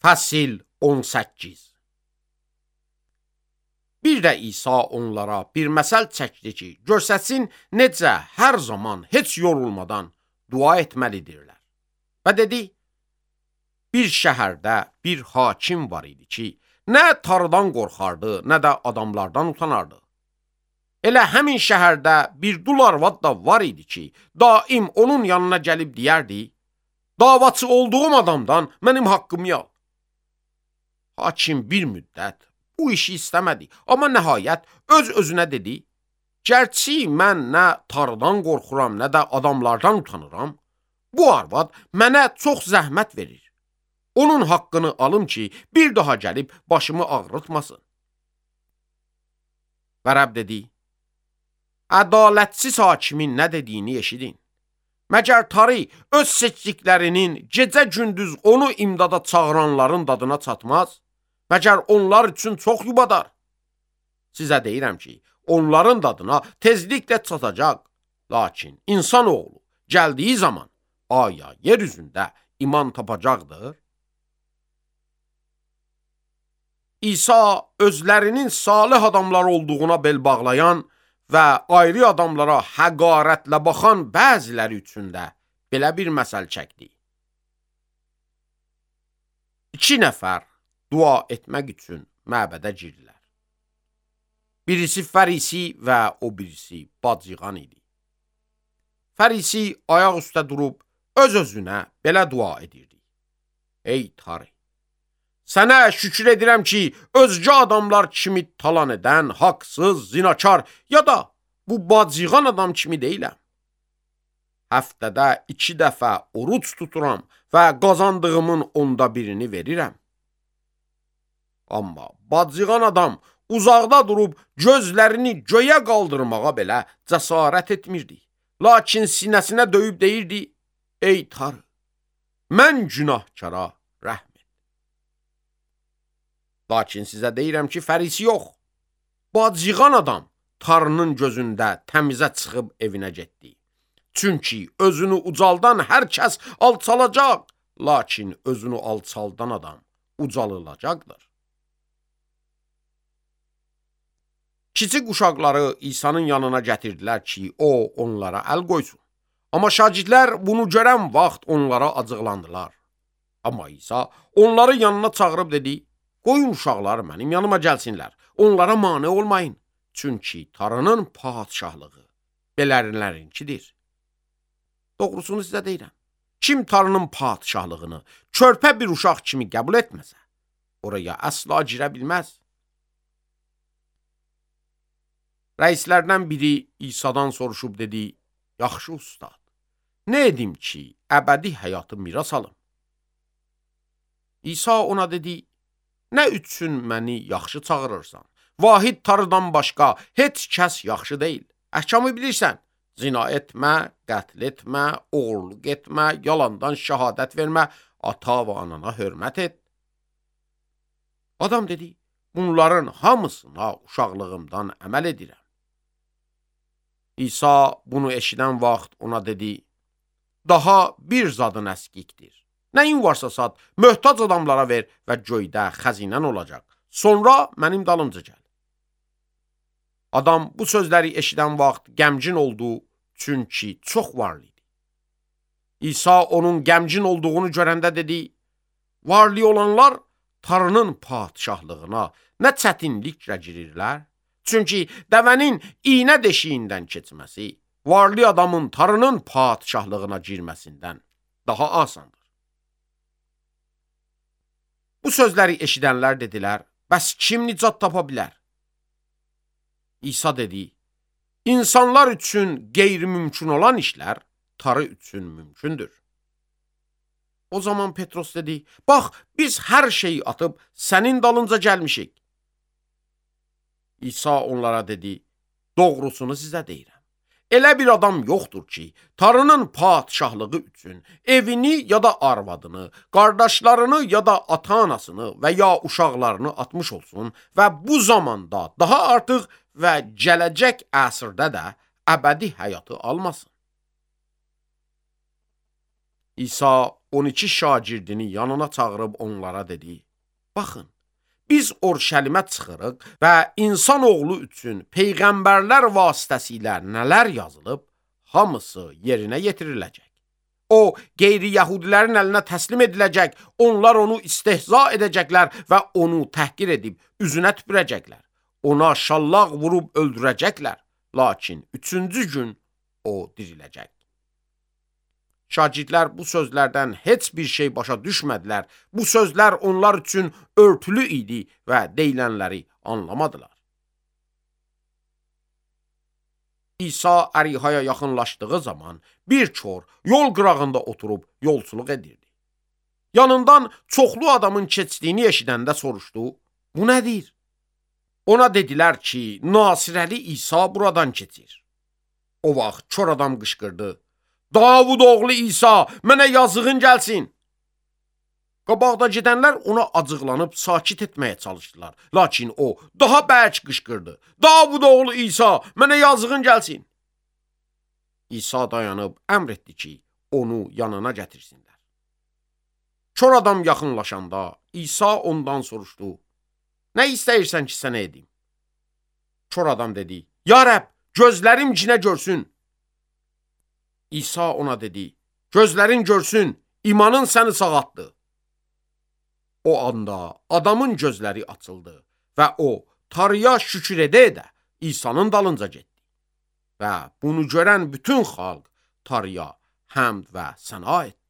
Fəsil 18. Bir də İsa onlara bir məsəl çəkdi ki, görsətsin necə hər zaman heç yorulmadan dua etməlidirlər. Və dedi, bir şəhərdə bir hakim var idi ki, nə tarıdan qorxardı, nə də adamlardan utanardı. Elə həmin şəhərdə bir dul arvad da var idi ki, daim onun yanına gəlib deyərdi, davaçı olduğum adamdan mənim haqqımı al. Hakim bir müddət bu işi istəmədi, amma nəhayət öz-özünə dedi, gərçi mən nə tarıdan qorxuram, nə də adamlardan utanıram, bu arvad mənə çox zəhmət verir. Onun haqqını alım ki, bir daha gəlib başımı ağrıtmasın. Və Rəbb dedi, ədalətsiz hakimin nə dediyini eşidin. Məgər tarı öz seçdiklərinin gecə-gündüz onu imdada çağıranların dadına çatmaz? Məgər onlar üçün çox yubadar? Sizə deyirəm ki, onların dadına tezliklə çatacaq. Lakin insanoğlu gəldiyi zaman aya yer üzündə iman tapacaqdır. İsa özlərinin salih adamlar olduğuna bel bağlayan və ayrı adamlara həqarətlə baxan bəziləri üçün də belə bir məsəl çəkdi. 2 nəfər dua etmək üçün məbədə girdilər. Birisi fərisi və o birisi bacıqan idi. Fərisi ayaq üstə durub öz-özünə belə dua edirdi. Ey tarı, sənə şükür edirəm ki, özgə adamlar kimi talan edən, haqsız, zinakar ya da bu bacıqan adam kimi deyiləm. Həftədə 2 dəfə oruç tuturam və qazandığımın 1/10 verirəm. Amma bacıqan adam uzaqda durub gözlərini göyə qaldırmağa belə cəsarət etmirdi. Lakin sinəsinə döyüb deyirdi, ey tarı, mən günahkara rəhm et. Lakin sizə deyirəm ki, fərisi yox, bacıqan adam tarının gözündə təmizə çıxıb evinə getdi. Çünki özünü ucaldan hər kəs alçalacaq, lakin özünü alçaldan adam ucalılacaqdır. Kiçik uşaqları İsa'nın yanına gətirdilər ki, o onlara əl qoysun. Amma şagirdlər bunu görən vaxt onlara acıqlandılar. Amma İsa onları yanına çağırıb dedi, qoyun uşaqlar mənim yanıma gəlsinlər, onlara mane olmayın. Çünki tarının padşahlığı belənlərinkidir. Doğrusunu sizə deyirəm, kim tarının padşahlığını körpə bir uşaq kimi qəbul etməsə, oraya əsla girə bilməz. Rəislərdən biri İsa'dan soruşub dedi, yaxşı ustad, nə edim ki, əbədi həyatı miras alım? İsa ona dedi, nə üçün məni yaxşı çağırırsan? Vahid tarıdan başqa heç kəs yaxşı deyil. Əhkamı bilirsən, zina etmə, qətl etmə, oğurluq etmə, yalandan şəhadət vermə, ata və anana hörmət et. Adam dedi, bunların hamısına uşaqlığımdan əməl edirəm. İsa bunu eşidən vaxt ona dedi, daha bir zadın əskikdir. Nəyin varsa sat, möhtac adamlara ver və göydə xəzinən olacaq. Sonra mənim dalımca gəl. Adam bu sözləri eşidən vaxt qəmgin oldu, çünki çox varlı idi. İsa onun qəmgin olduğunu görəndə dedi, varlı olanlar tarının padşahlığına nə çətinliklə girirlər? Çünki dəvənin iynə deşiyindən keçməsi, varlı adamın tarının padşahlığına girməsindən daha asandır. Bu sözləri eşidənlər dedilər, bəs kim nicat tapa bilər? İsa dedi, insanlar üçün qeyri-mümkün olan işlər tarı üçün mümkündür. O zaman Petros dedi, bax, biz hər şeyi atıb sənin dalınca gəlmişik. İsa onlara dedi, doğrusunu sizə deyirəm. Elə bir adam yoxdur ki, tarının padşahlığı üçün evini ya da arvadını, qardaşlarını ya da ata-anasını və ya uşaqlarını atmış olsun və bu zamanda daha artıq və gələcək əsrdə də əbədi həyatı almasın. İsa 12 şagirdini yanına çağırıb onlara dedi: Baxın, biz Orşəlimə çıxırıq və insan oğlu üçün peyğəmbərlər vasitəsilə nələr yazılıb, hamısı yerinə yetiriləcək. O, qeyri-yəhudilərin əlinə təslim ediləcək, onlar onu istehza edəcəklər və onu təhqir edib üzünə tüpürəcəklər. Ona şallaq vurub öldürəcəklər, lakin 3-cü gün o diriləcək. Şagirdlər bu sözlərdən heç bir şey başa düşmədilər. Bu sözlər onlar üçün örtülü idi və deyilənləri anlamadılar. İsa Ərihaya yaxınlaşdığı zaman bir çor yol qırağında oturub yolçuluq edirdi. Yanından çoxlu adamın keçdiyini eşidəndə soruşdu: Bu nədir? Ona dedilər ki, Nasirəli İsa buradan keçir. O vaxt çor adam qışqırdı: Davud oğlu İsa, mənə yazığın gəlsin. Qabaqda gedənlər ona acıqlanıb sakit etməyə çalışdılar. Lakin o daha bərk qışqırdı: Davud oğlu İsa, mənə yazığın gəlsin. İsa dayanıb əmr etdi ki, onu yanına gətirsinlər. Çor adam yaxınlaşanda İsa ondan soruşdu: Nə istəyirsən ki, sənə edim? Çor adam dedi: Ya Rəbb, gözlərim cinə görsün. İsa ona dedi: Gözlərin görsün, imanın səni sağaltdı. O anda adamın gözləri açıldı və o Tanrıya şükür edə-edə İsa'nın dalınca getdi. Və bunu görən bütün xalq Tanrıya həmd və səna etdi.